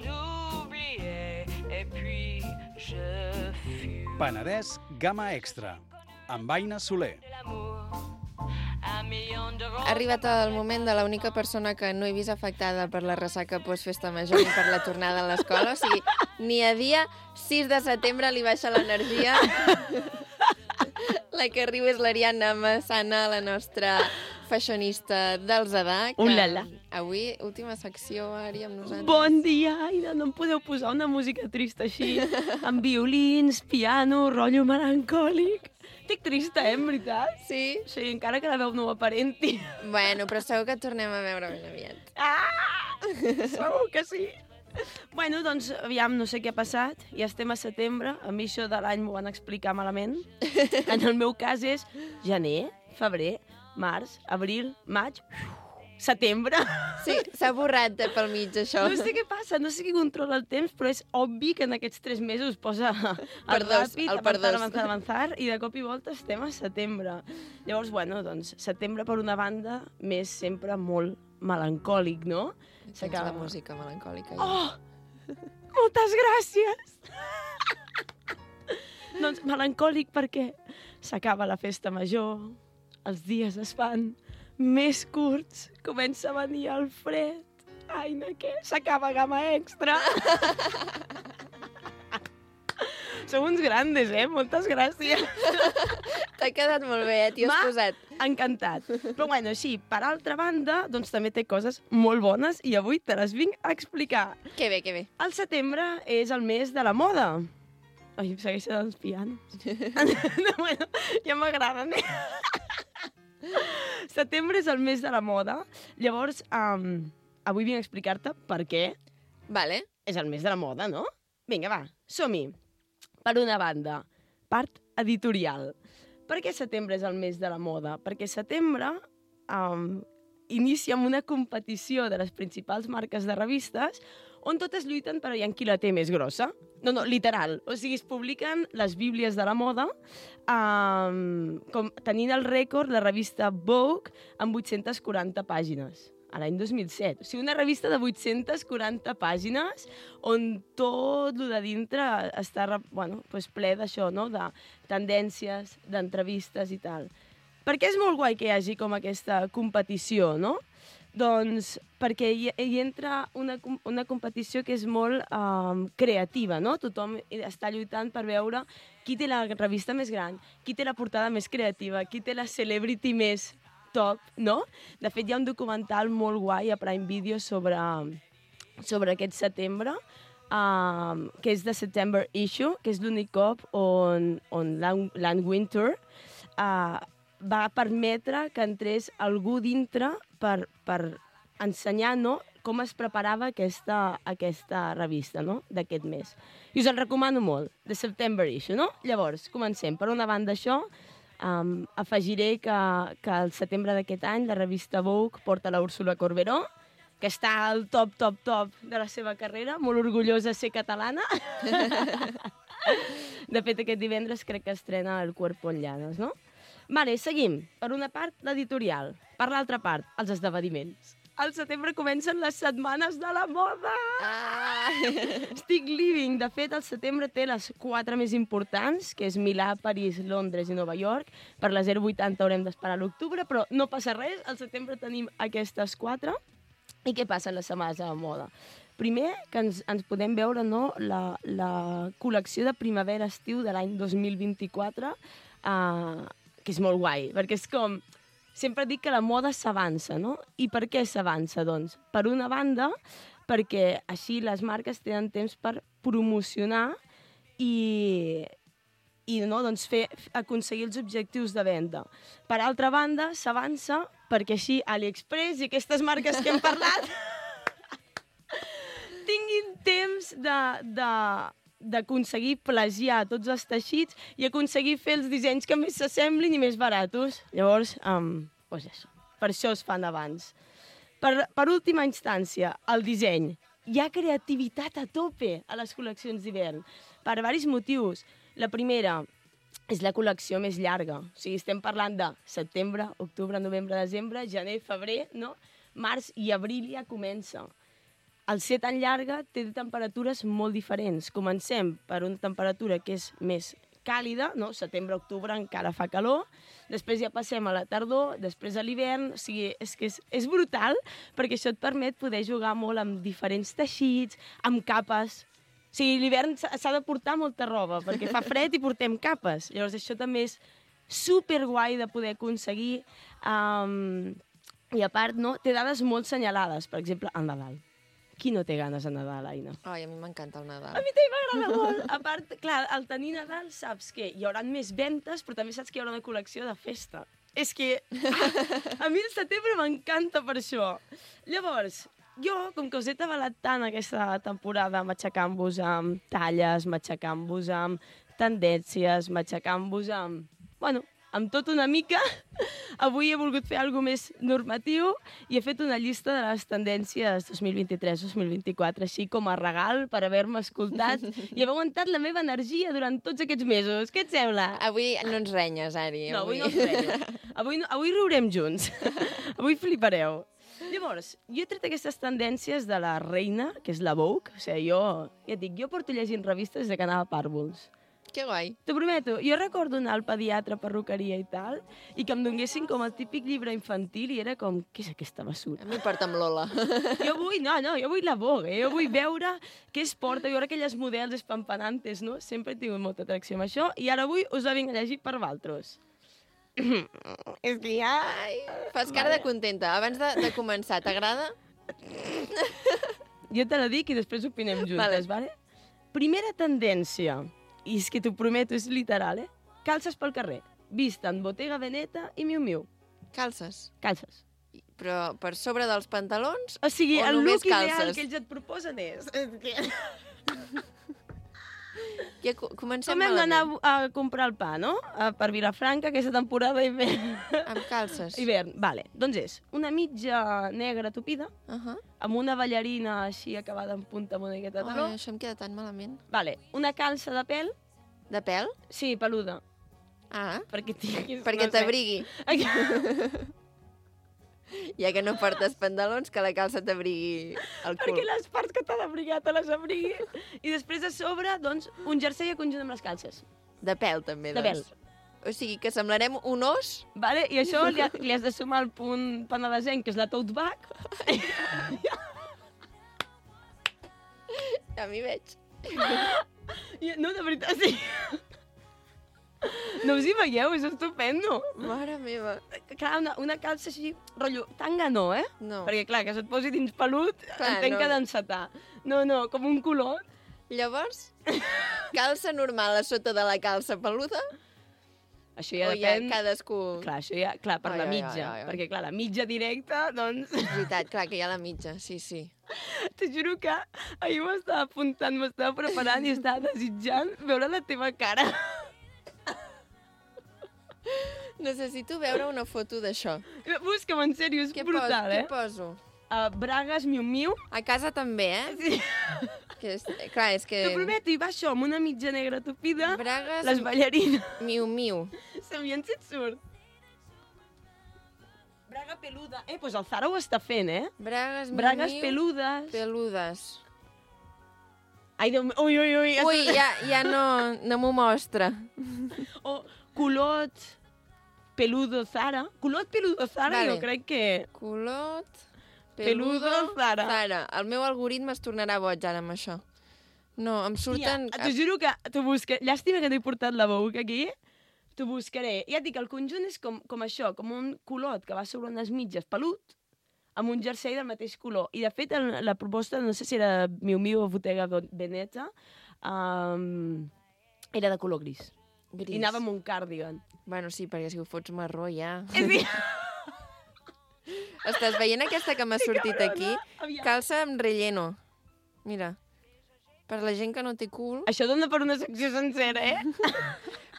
oublier et puis je fume. Penedès Gamma Extra, amb Aina Soler. Ha arribat el moment de l'única persona que no he vist afectada per la ressaca post-festa major ni per la tornada a l'escola. O sigui, ni a dia 6 de setembre li baixa l'energia. La que riu és l'Ariadna Massana, la nostra fashionista del Zadà. Ulala. Avui, última secció, Ari, amb nosaltres. Bon dia, Aida. No em podeu posar una música trista així, amb violins, piano, rotllo melancòlic. Estic trista, en veritat? Sí? Sí, encara que la veu no ho aparenti. Bueno, però segur que et tornem a veure ben aviat. Segur que sí. Bueno, doncs, aviam, no sé què ha passat. Ja estem a setembre. A mi això de l'any m'ho van explicar malament. En el meu cas és gener, febrer, març, abril, maig, setembre. Sí, s'ha borrat pel mig, això. No sé què passa, no sé qui controla el temps, però és obvi que en aquests 3 mesos posa Per dos, el per dos. avançar, i de cop i volta estem a setembre. Llavors, bueno, doncs, setembre, per una banda, més sempre molt melancòlic, no? Tens la música melancòlica. Oh! Moltes gràcies! Doncs melancòlic perquè s'acaba la festa major, els dies es fan més curts, comença a venir el fred. Aina, què? S'acaba Gamma Extra. Sou uns grandes, Moltes gràcies. T'ha quedat molt bé, t'hi has posat. Encantat. Però bueno, sí, per altra banda, doncs també té coses molt bones i avui te les vinc a explicar. Que bé, que bé. El setembre és el mes de la moda. Ai, em segueixen els pianos. No, bueno, ja m'agraden, Setembre és el mes de la moda. Llavors, avui vinc a explicar-te per què Vale. és el mes de la moda, no? Vinga, va, som-hi. Per una banda, part editorial. Per què setembre és el mes de la moda? Perquè setembre inicia amb una competició de les principals marques de revistes on totes lluiten per veure qui la té més grossa. No, literal. O sigui, es publiquen les bíblies de la moda, com tenint el rècord la revista Vogue amb 840 pàgines, a l'any 2007. O sigui, una revista de 840 pàgines on tot el de dintre està ple d'això, no? De tendències, d'entrevistes i tal. Per què és molt guai que hi hagi com aquesta competició, no? Doncs perquè hi entra una competició que és molt creativa, no? Tothom està lluitant per veure qui té la revista més gran, qui té la portada més creativa, qui té la celebrity més top, no? De fet, hi ha un documental molt guai a Prime Video sobre aquest setembre, que és The September Issue, que és l'únic cop on Lan Winter va permetre que entrés algú dintre per ensenyar, no?, com es preparava aquesta revista, no?, d'aquest mes. I us el recomano molt, The September Issue, no? Llavors, comencem. Per una banda, això, afegiré que al setembre d'aquest any la revista Vogue porta la Úrsula Corberó, que està al top de la seva carrera, molt orgullosa de ser catalana. De fet, aquest divendres crec que estrena El cuerpo en llanes, no? Vale, seguim. Per una part, l'editorial. Per l'altra part, els esdeveniments. Al setembre comencen les setmanes de la moda! Estic living. De fet, el setembre té les 4 més importants, que és Milà, París, Londres i Nova York. Per la 080 haurem d'esperar l'octubre, però no passa res. Al setembre tenim aquestes 4. I què passa en les setmanes de la moda? Primer, que ens podem veure, no, la col·lecció de primavera-estiu de l'any 2024, que és molt guai, perquè és com... Sempre dic que la moda s'avança, no? I per què s'avança, doncs? Per una banda, perquè així les marques tenen temps per promocionar i no, doncs aconseguir els objectius de venda. Per altra banda, s'avança perquè així AliExpress i aquestes marques que hem parlat tinguin temps d'aconseguir plagiar tots els teixits i aconseguir fer els dissenys que més s'assemblin i més baratos. Llavors, doncs això, per això es fan abans. Per última instància, el disseny. Hi ha creativitat a tope a les col·leccions d'hivern, per diversos motius. La primera, és la col·lecció més llarga. O sigui, estem parlant de setembre, octubre, novembre, desembre, gener, febrer, no? Març i abril ja comença. Al ser tan llarga té temperatures molt diferents. Comencem per una temperatura que és més càlida, no? Setembre, octubre encara fa calor, després ja passem a la tardor, després a l'hivern, o sigui, és que és brutal perquè això et permet poder jugar molt amb diferents teixits, amb capes. O sigui, l'hivern s'ha de portar molta roba perquè fa fred i portem capes. Llavors això també és superguai de poder aconseguir. I a part, no? Té dades molt senyalades, per exemple, al Nadal. Qui no té ganes de Nadal, Aina? Ai, a mi m'encanta el Nadal. A mi també m'agrada molt. A part, clar, al tenir Nadal saps que hi haurà més ventes, però també saps que hi haurà una col·lecció de festa. És que a mi el setembre m'encanta per això. Llavors, jo, com que us he tabalat tant aquesta temporada matxacant-vos amb talles, matxacant-vos amb tendències, matxacant-vos amb... Bueno, amb tot una mica, avui he volgut fer alguna més normatiu i he fet una llista de les tendències 2023-2024, així com a regal per haver-me escoltat i haver aguantat la meva energia durant tots aquests mesos. Què et sembla? Avui no ens renyes, Ari. No, avui no ens renyo. Avui riurem junts. Avui flipareu. Llavors, jo he tret aquestes tendències de la reina, que és la Vogue. O sigui, jo porto llegint revistes des que anava a pàrvols. Que guai. T'ho prometo. Jo recordo anar al pediatre, perruqueria i tal, i que em donguessin com el típic llibre infantil i era com, què és aquesta basura? A mi porta amb Lola. Jo vull la Vogue, jo vull veure què es porta, veure aquelles models espampanantes, no? Sempre he tingut molta atracció amb això, i ara avui us la vinc a llegir per valtros. És que ja... Fas cara de contenta. Abans de començar, t'agrada? Jo te la dic i després opinem juntes, vale? Primera tendència. I és que t'ho prometo, és literal, Calces pel carrer. Vist en Bottega Veneta i Miu Miu. Calces? Calces. Però per sobre dels pantalons o sigui, o el només look calces? Ideal que ells et proposen és... Ja comencem com hem d'anar a comprar el pa, no? Per Vilafranca, aquesta temporada hivern. Amb calces. Hivern, vale. Doncs és una mitja negra tupida, amb una ballarina així acabada en punta amb una miqueta de taló. Ai, això em queda tan malament. Vale, una calça de pèl. De pèl? Sí, peluda. Ah, perquè t'abrigui. Ja que no portes pantalons, que la calça t'abrigui el cul. Perquè les parts que t'ha d'abrigar te les abrigui. I després a sobre, doncs, un jersei a conjunt amb les calces. De pèl, també, doncs. De pèl. O sigui, que semblarem un os. Vale, i això li has de sumar el punt penedesenc, que és la tote bag. Ja m'hi veig. No, de veritat, sí. No us hi veieu? És estupendo. Mare meva. Clar, una calça així, rotllo, tanga no, No. Perquè, clar, que se't posi dins pelut, entenc que d'encetar. No, com un color. Llavors, calça normal a sota de la calça peluda? Això ja O depèn... ja cadascú... Clar, això ja, clar, per la mitja. Perquè, clar, la mitja directa, doncs... És veritat, clar, que hi ha la mitja, sí. Te juro que ahir m'estava apuntant, m'estava preparant i estava desitjant veure la teva cara. Necessito veure una foto d'això. Busca'm, en sèrio, és brutal, Què poso? Bragues Miu Miu. A casa també, Sí. Clar, és que... T'ho prometo, i va això, amb una mitja negra tupida, Bragues... les ballarines. Miu Miu. Sabien si et surt. Braga peluda. Doncs el Zara ho està fent, Bragues Miu Bragues Miu. peludes. Peludes. Ai, Déu meu, ui. Ui, ja no m'ho mostra. O culot peludo Zara. Culot peludo Zara, Vale. jo crec que... Culot... Peludo Zara. El meu algoritme es tornarà boig ara amb això. No, em surten... T'ho juro que t'ho buscaré. Llàstima que t'he portat la Vogue aquí. T'ho buscaré. Ja et dic, el conjunt és com això, com un culot que va sobre unes mitges pelut, amb un jersei del mateix color. I, de fet, la proposta, no sé si era Miu Miu o Bottega Veneta, era de color gris. I anava amb un cardigan. Bueno, sí, perquè si ho fots marró ja... Sí. Estàs veient aquesta que m'ha sortit aquí? Calça amb relleno. Mira, per la gent que no té cul... Això dona per una secció sencera,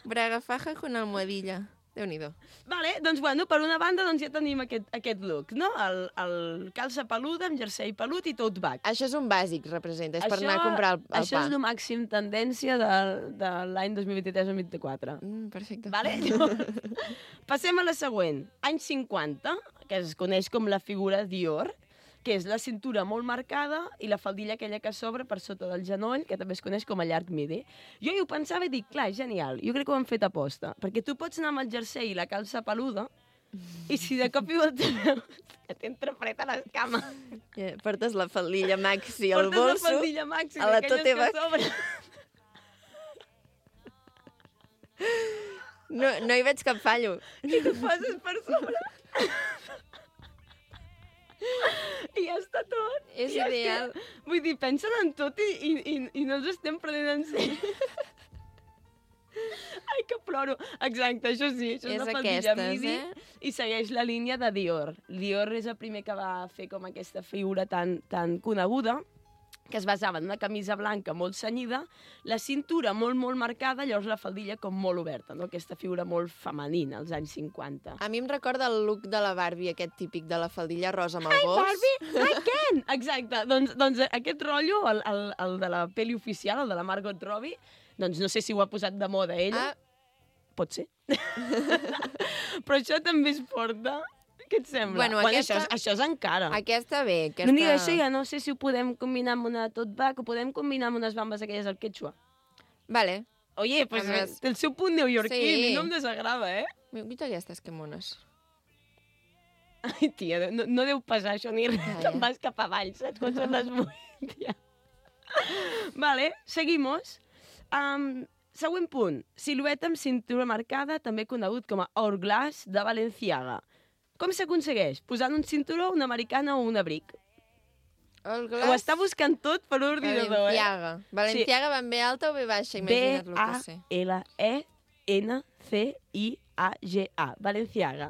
Braga faja con almohadilla. Déu-n'hi-do. Vale, doncs, bueno, per una banda ja tenim aquest look, no? El calça peluda amb jersei pelut i tote bag. Això és un bàsic, representa, és per anar a comprar el pa. Això és el màxim tendència de l'any 2023-2024. Perfecte. Vale? Passem a la següent. Anys 50, que es coneix com la figura Dior, que és la cintura molt marcada i la faldilla aquella que s'obre per sota del genoll, que també es coneix com a llarg midi. Jo hi ho pensava i dic, clar, és genial. Jo crec que ho han fet aposta, perquè tu pots anar amb el jersei i la calça peluda i si de cop i volta veus que t'entra fred a les cames. Portes la faldilla maxi al bolso, la faldilla maxi, a la d'aquelles tote bag. que s'obren. No hi veig cap fallo. I tu passes per sobre. I ja està tot. És ideal. Vull dir, pensen en tot i no ens estem prenent en sèrio. Ai, que ploro. Exacte, això sí, això és una faldilla midi i segueix la línia de Dior. Dior és el primer que va fer com aquesta figura tan coneguda, que es basava en una camisa blanca molt cenyida, la cintura molt, molt marcada, llavors la faldilla com molt oberta, no? Aquesta figura molt femenina, als anys 50. A mi em recorda el look de la Barbie, aquest típic de la faldilla rosa amb el gos. Barbie, hi Ken! Exacte, doncs aquest rotllo, el de la pel·li oficial, el de la Margot Robbie, doncs no sé si ho ha posat de moda ella. Pot ser. Però això també es porta... Què et sembla? Bueno, això és encara. Aquesta bé. L'únic això ja no sé si ho podem combinar amb una tote bag o podem combinar amb unes bambes aquelles al quechua. Vale. Oye, pues té el seu punt neoyorquí, i no em desagrada, eh? Mira aquestes que mones. Ai, tia, no deu pesar això ni res. Te'n vas cap avall, saps? Quan són les 8, tia. Vale, seguimos. Següent punt. Silueta amb cintura marcada, també conegut com a Hourglass de Balenciaga. Com s'aconsegueix? Posant un cinturó, una americana o un abric. Ho està buscant tot per l'ordinador, Balenciaga. Balenciaga va en B alta o B baixa? Imagina't el que sé. B-A-L-E-N-C-I-A-G-A. Balenciaga.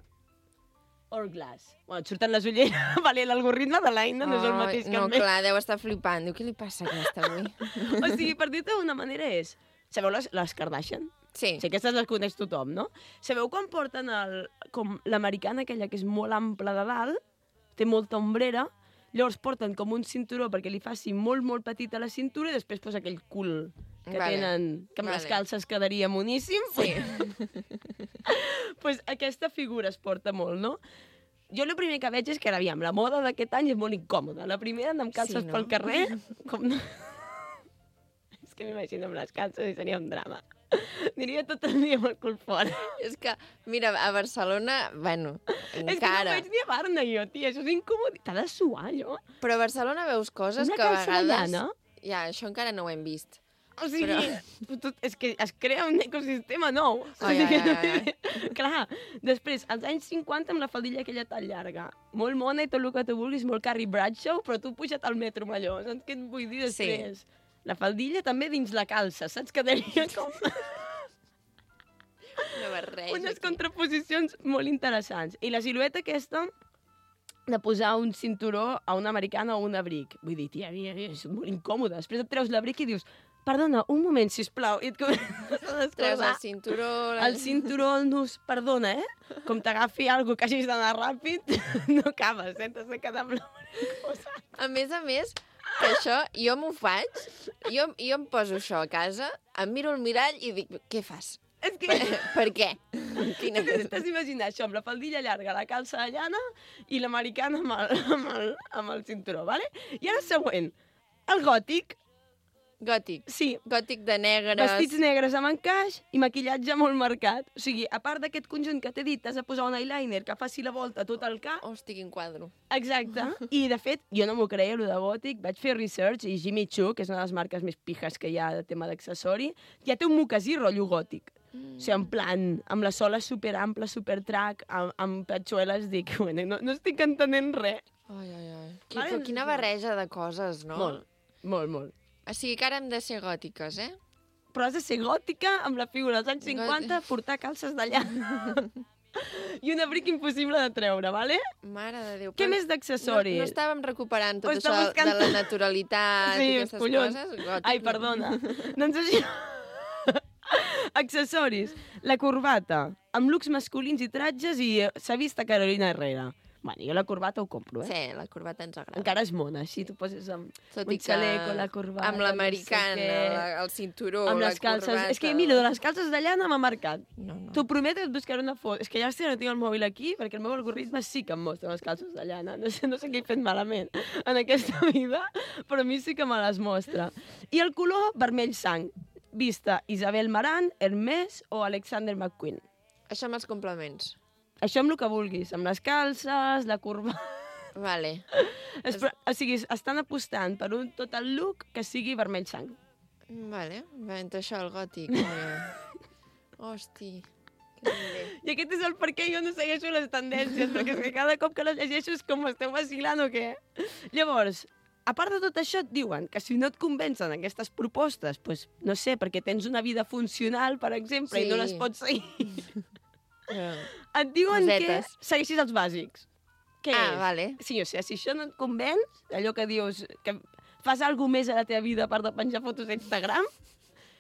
Hourglass. Bueno, et surten les ulleres. Vale, l'algoritme de l'Aina no és el mateix que el meu. No, clar, deu estar flipant. Diu, què li passa a aquesta avui? O sigui, per dir-te d'una manera és... Sabeu les Kardashian? Sí. Sí, aquestes les coneix tothom, no? Sabeu quan porten com l'americana aquella que és molt ampla de dalt, té molta ombrera, llavors porten com un cinturó perquè li faci molt, molt petit a la cintura i després posa aquell cul que tenen, que amb les calces quedaria moníssim. Sí. Pues aquesta figura es porta molt, no? Jo el primer que veig és que, aviam, la moda d'aquest any és molt incòmoda. La primera anar amb calces pel carrer, com... És que m'imagino amb les calces i seria un drama. Aniria tot el dia amb el cul fora. És que, mira, a Barcelona, bueno, encara... És que no veig ni a Barna, jo, tia, això és incòmode. T'ha de suar, allò. Però a Barcelona veus coses que a vegades... Ja, això encara no ho hem vist. O sigui, és que es crea un ecosistema nou. Clar, després, als anys 50 amb la faldilla aquella tan llarga, molt mona i tot el que tu vulguis, molt Carrie Bradshaw, però tu puja't al metro amb allò, saps què et vull dir després? Sí. La faldilla també dins la calça, saps? Quedaria com... Unes contraposicions molt interessants. I la silueta aquesta de posar un cinturó a una americana o un abric. Vull dir, tia, és molt incòmode. Després et treus l'abric i dius, perdona, un moment, sisplau. I et comences a treus el cinturó... El cinturó, el nus, perdona, Com t'agafi alguna que hagis d'anar ràpid, no acabes, t'has de quedar amb la cosa. A més, que això, jo m'ho faig, jo em poso això a casa, em miro al mirall i dic, què fas? És que... Per què? T'has d'imaginar això, amb la faldilla llarga, la calça de llana i l'americana amb el cinturó, vale? I ara següent, el gòtic. Gòtic? Sí. Gòtic de negres. Vestits negres amb encaix i maquillatge molt marcat. O sigui, a part d'aquest conjunt que t'he dit, t'has de posar un eyeliner que faci la volta tot el cap. Hosti, quin quadro. Exacte. I, de fet, jo no m'ho creia, allò de gòtic. Vaig fer research i Jimmy Choo, que és una de les marques més pijes que hi ha de tema d'accessori, ja té un mocasí rotllo gòtic. O sigui, en plan, amb la sola superampla, supertrac, amb patxueles, dic, bueno, no estic entenent res. Ai. Però quina barreja de coses, no? Molt. O sigui que ara hem de ser gòtiques, Però has de ser gòtica amb la figura dels anys 50, portar calces de llana. I un abric impossible de treure, vale? Mare de Déu. Què més d'accessoris? No estàvem recuperant tot això de la naturalitat i aquestes coses? Gòtic. Ai, perdona. Doncs això... Accessoris. La corbata, amb looks masculins i tratges i s'ha vist a Carolina Herrera. Bueno, jo la corbata ho compro, Sí, la corbata ens agrada. Encara és mona, així tu poses amb Tot un i que xaleco, la corbata... amb l'americana, el cinturó, amb la les calces. corbata... És que, mira, de les calces de llana m'ha marcat. No. T'ho prometo que et buscaré una foto. És que llàstima no tinc el mòbil aquí, perquè el meu algoritme sí que em mostra les calces de llana. No sé què he fet malament en aquesta vida, però a mi sí que me les mostra. I el color vermell sang. Vista Isabel Marant, Hermès o Alexander McQueen. Això amb els complements. Això amb el que vulguis, amb les calces, la corbata... Vale. O sigui, estan apostant per un total look que sigui vermell sang. Vale, entre això el gòtic. Hosti, que bé. I aquest és el per què jo no segueixo les tendències, perquè és que cada cop que les llegeixo és com esteu vacilant o què? Llavors, a part de tot això, et diuen que si no et convencen aquestes propostes, doncs, no sé, perquè tens una vida funcional, per exemple, i no les pots seguir... Et diuen que segueixis els bàsics. Què és? Vale. Sí, o sigui, si això no et convenç, allò que dius, que fas alguna més a la teva vida a part de penjar fotos a Instagram,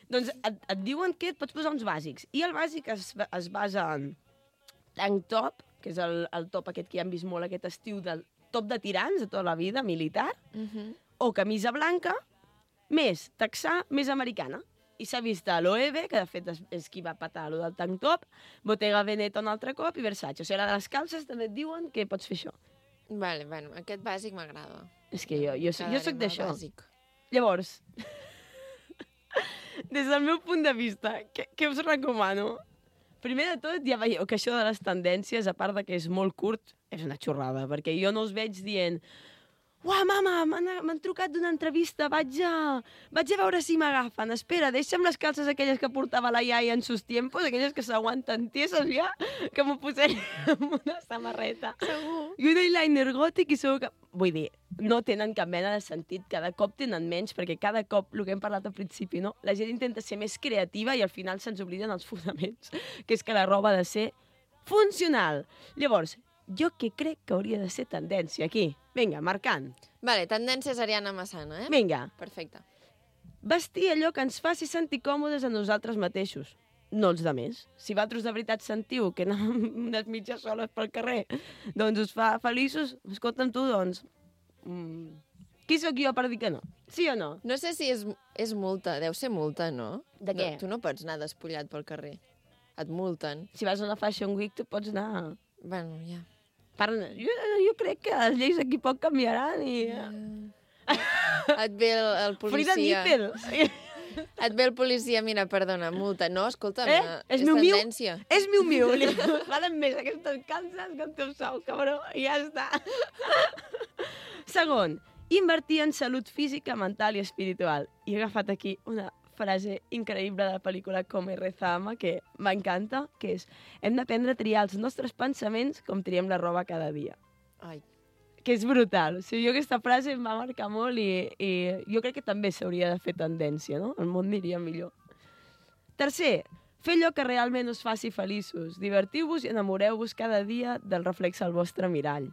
doncs et diuen que et pots posar uns bàsics. I el bàsic es basa en tank top, que és el top aquest que ja hem vist molt aquest estiu, del top de tirants de tota la vida, militar, o camisa blanca, més texà, més americana. I s'ha vist a l'OEB, que de fet és qui va patar allò del tank top, Bottega Veneta un altre cop i Versace. O sigui, a les calces també et diuen que pots fer això. Vale, bueno, aquest bàsic m'agrada. És que jo soc d'això. Llavors, des del meu punt de vista, què us recomano? Primer de tot, ja veieu que això de les tendències, a part de que és molt curt, és una xorrada, perquè jo no us veig dient «Uah, mama, m'han trucat d'una entrevista, vaig a veure si m'agafen. Espera, deixa'm les calces aquelles que portava la iaia en sus tiempos, aquelles que s'aguanten tieses ja, que m'ho posaré amb una samarreta». Segur. I un eyeliner gòtic i segur que... Vull dir, no tenen cap mena de sentit, cada cop tenen menys, perquè cada cop, el que hem parlat al principi, no? La gent intenta ser més creativa i al final se'ns obliden els fonaments, que és que la roba ha de ser funcional. Llavors, jo que crec que hauria de ser tendència aquí. Vinga, marcant. Vale, tendències Ariana Massana, eh? Vinga. Perfecte. Vestir allò que ens faci sentir còmodes a nosaltres mateixos, no els de més. Si vosaltres de veritat sentiu que anar amb unes mitges soles pel carrer doncs us fa feliços, escolta'm tu, doncs... Qui sóc jo per dir que no? Sí o no? No sé si és multa, deu ser multa, no? De què? No, tu no pots anar despullat pel carrer. Et multen. Si vas a una Fashion Week, tu pots anar... Bueno, ja. Jo crec que les lleis aquí poc canviaran i... Et ve el policia... Frida Nippel! Et ve el policia, mira, perdona, multa. No, escolta'm, és tendència. És miu-miu. Valen més aquestes calces que el teu sou, cabró. I ja està. Segon, invertir en salut física, mental i espiritual. I he agafat aquí una frase increïble de la pel·lícula Come Reza Ama, que m'encanta, que és hem d'aprendre a triar els nostres pensaments com triem la roba cada dia. Ai. Que és brutal. O sigui, jo aquesta frase em va marcar molt i jo crec que també s'hauria de fer tendència, no? El món aniria millor. Tercer, fer allò que realment us faci feliços. Divertiu-vos i enamoreu-vos cada dia del reflex al vostre mirall.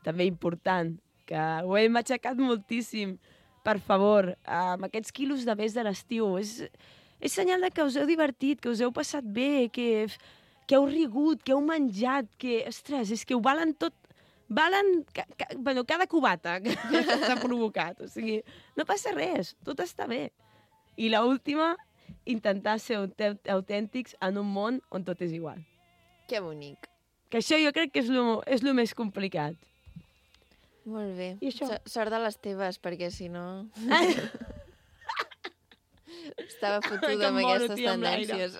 També important, que ho hem aixecat moltíssim. Per favor, amb aquests quilos de més de l'estiu, és senyal de que us heu divertit, que us heu passat bé, que heu rigut, que heu menjat, que, ostres, és que ho valen tot. Valen cada cubata que s'ha provocat. O sigui, no passa res, tot està bé. I l'última, intentar ser autèntics en un món on tot és igual. Que bonic. Que això jo crec que és lo més complicat. Molt bé. I això? Sort de les teves, perquè si no... Estava fotuda amb aquestes tendències.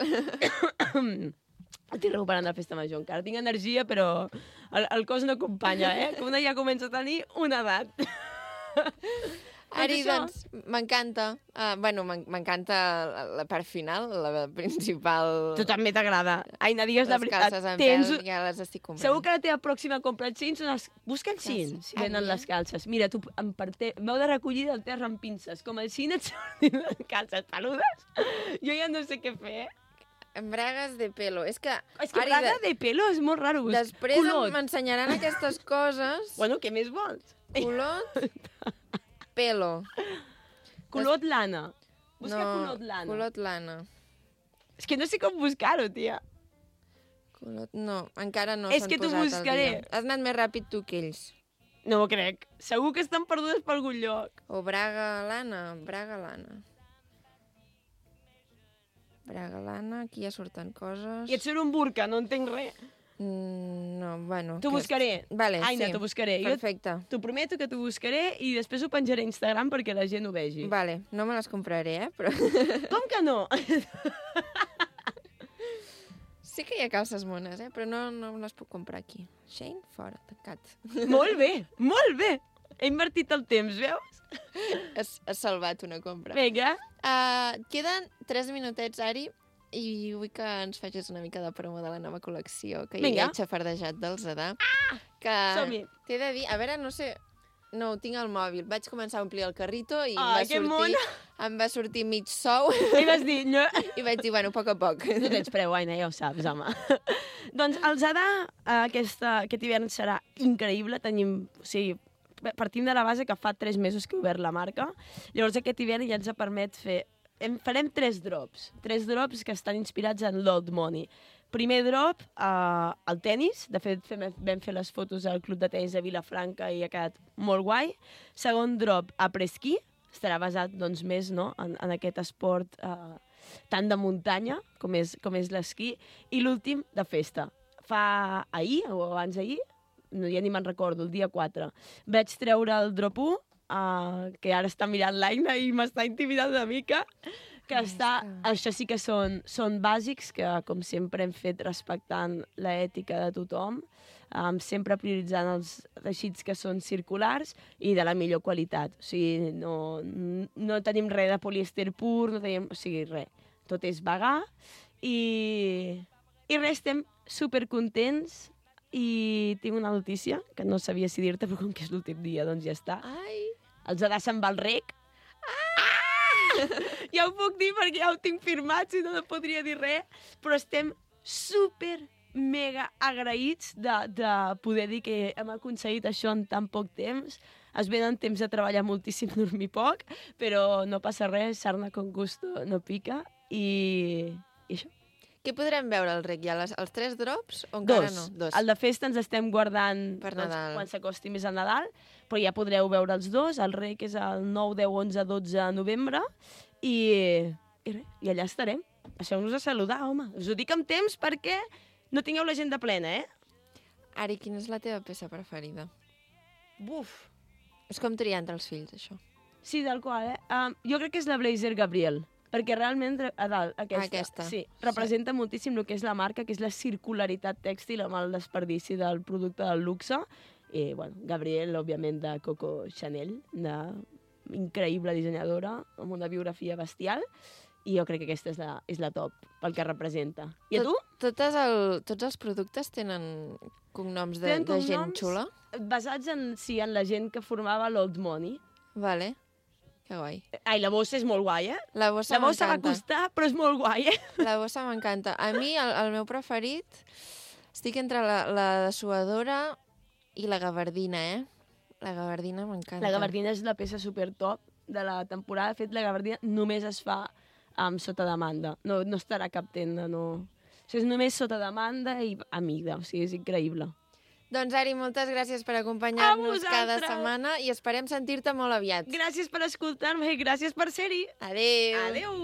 Estic recuperant la festa major encara. Tinc energia, però el cos no acompanya, eh? Que una ja comença a tenir una edat. Ari, doncs, m'encanta. Bueno, m'encanta la part final, la principal... Tu també t'agrada. Aina, digues la veritat. Les calces en pèl, ja les estic comprant. Segur que la teva pròxima compra els jeans són els... Busca els jeans, si venen les calces. Mira, tu m'heu de recollir del terra amb pinces. Com el jeans et sortin les calces peludes, jo ja no sé què fer, Embragues de pelo. És que braga de pelo és molt raro. Després m'ensenyaran aquestes coses. Bueno, què més vols? Culot, pelo. Culot lana. Busca culot lana. Culot lana. És que no sé com buscar-ho, tia. No, encara no És s'han que t'ho posat al buscaré. dia. Has anat més ràpid tu que ells. No ho crec. Segur que estan perdudes per algun lloc. O Braga Lana. Braga Lana, aquí ja surten coses. I et surt un burca, no entenc res. No, bueno... T'ho buscaré. Vale, Aina, sí. t'ho buscaré. Perfecte. T'ho prometo que t'ho buscaré i després ho penjaré a Instagram perquè la gent ho vegi. Vale, no me les compraré, Però... Com que no? Sí que hi ha calces mones, Però no les puc comprar aquí. Shane, fora, tancat. Molt bé, molt bé. He invertit el temps, veus? Has salvat una compra. Vinga. Queden 3 minutets, Ari, i vull que ens facis una mica de promo de la nova col·lecció que Vinga. hi ha xafardejat del Zadà. Que som-hi. t'he de dir, a veure, no sé... No, ho tinc al mòbil. Vaig començar a omplir el carrito i em va sortir mig sou. I vas dir... No. I vaig dir, bueno, a poc a poc. No tens preu, Aina, ja ho saps, home. Doncs el Zadà aquest hivern serà increïble. Partim de la base que fa 3 mesos que he obert la marca. Llavors aquest hivern ja ens permet fer... Farem 3 drops. 3 drops que estan inspirats en l'Old Money. Primer drop, el tennis. De fet, vam fer les fotos al Club de Tenis de Vilafranca i ha quedat molt guai. Segon drop, après-ski. Estarà basat doncs, més en aquest esport tant de muntanya com és l'esquí. I l'últim, de festa. Fa ahir, o abans d'ahir, ja ni me'n recordo, el dia 4, vaig treure el drop 1, que ara està mirant l'Aina i m'està intimidant una mica, això sí que són bàsics, que com sempre hem fet respectant l'ètica de tothom, sempre prioritzant els teixits que són circulars i de la millor qualitat. O sigui, no tenim res de polièster pur, no tenim... O sigui, res. Tot és vegà i res, estem supercontents i tinc una notícia que no sabia si dir-te, però com que és l'últim dia, doncs ja està. Ai! El Zadà se'n va al rec. Ja ho puc dir perquè ja ho tinc firmat, si no podria dir res, però estem super mega agraïts de poder dir que hem aconseguit això en tan poc temps. Es venen temps de treballar moltíssim, dormir poc, però no passa res, sarna con gusto no pica, i això. Què podrem veure al rec ja? Els 3 drops o encara no? 2. El de festa ens estem guardant per Nadal. Quan s'acosti més a Nadal, però ja podreu veure els 2. El rec és el 9, 10, 11, 12 de novembre i allà estarem. Deixeu-nos a saludar, home. Us ho dic amb temps perquè no tingueu l'agenda plena, Ari, quina és la teva peça preferida? Buf! És com triar entre els fills, això. Sí, tal qual, jo crec que és la Blazer Gabriel, perquè realment a dalt, aquesta. Sí, representa moltíssim el que és la marca, que és la circularitat tèxtil amb el desperdici del producte del luxe. I, bueno, Gabriel, òbviament, de Coco Chanel, una increïble dissenyadora, amb una biografia bestial, i jo crec que aquesta és la top, pel que representa. I a tu? Tots els productes tenen cognoms de gent xula? Basats en la gent que formava l'Old Money. Vale. Que guai. Ai, la bossa és molt guai, La bossa va costar, però és molt guai, La bossa m'encanta. A mi, el meu preferit, estic entre la dessuadora i la gabardina, La gabardina m'encanta. La gabardina és la peça super top de la temporada. De fet, la gabardina només es fa sota demanda. No estarà a cap tenda, no. O sigui, és només sota demanda i a mida. O sigui, és increïble. Doncs, Ari, moltes gràcies per acompanyar-nos cada setmana i esperem sentir-te molt aviat. Gràcies per escoltar-me i gràcies per ser-hi. Adéu. Adéu.